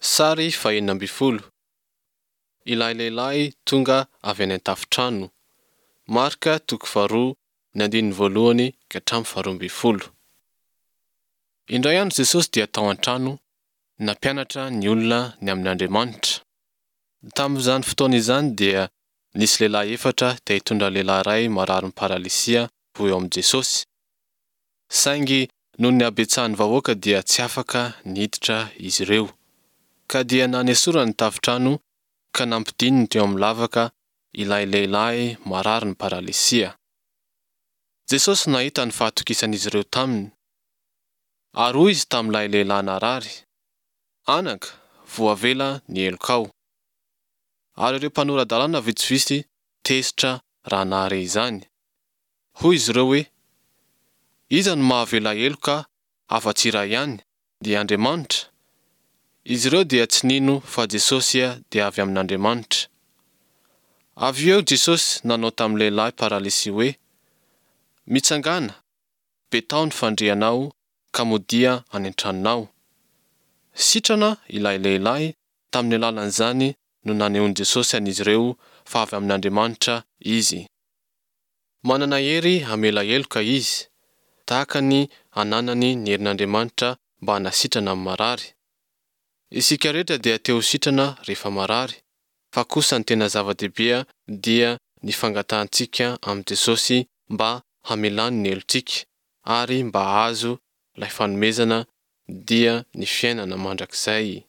Sary fahenina ambin'ny folo. Ilay lehilahy tonga avy any an-tafontrano. Marka toko faharoa ny andininy voalohany ka hatramin'ny faharoa ambin'ny folo. Indray andro Jesosy dia tao an-trano, nampianatra ny olona ny amin' Andriamanitra. Tamin'izany fotoana izany dia nisy lehilahy efatra te hitondra lehilahy iray mararin'ny paralisia ho eo amin'i Jesosy. Saingy noho ny habetsahan'ny vahoaka dia tsy afaka niditra izy ireo. Ka dia nanesorany ny tafontrano ka nampidininy teo amin'ny lavaka ilay lehilahy mararin'ny paralisia. Jesosy nahita ny fahatokisan'izy ireo taminy. Ary hoy izy tamin'ilay lehilahy narary, Anaka, voavela ny helokao. Ary ireo mpanora-dalàna vitsivitsy tezitra raha nahare izany. Hoy izy ireo hoe, Iza no mahavela heloka afa-tsy iray ihany, dia Andriamanitra? Izy ireo dia tsy nino fa Jesosy dia avy amin'Andriamanitra. Avy eo Jesosy nanao tamin'ny lehilahy paralysy hoe, Mitsangàna, betao ny fandrianao ka modia any an-tranonao. Sitrana ilay lehilahy, tamin'ny alalan'izany no nanehoan'i Jesosy an'izy ireo fa avy amin'Andriamanitra Izy. Manana hery hamela heloka Izy, tahaka ny ananany ny herin'Andriamanitra mba hanasitrana ny marary. Isika rehetra dia te ho sitrana rehefa marary, fa kosa ny tena zava-dehibe dia ny fangatahantsika amin'i Jesosy mba hamelany ny helotsika ary mba hahazo ilay fanomezana dia ny fiainana mandrakizay.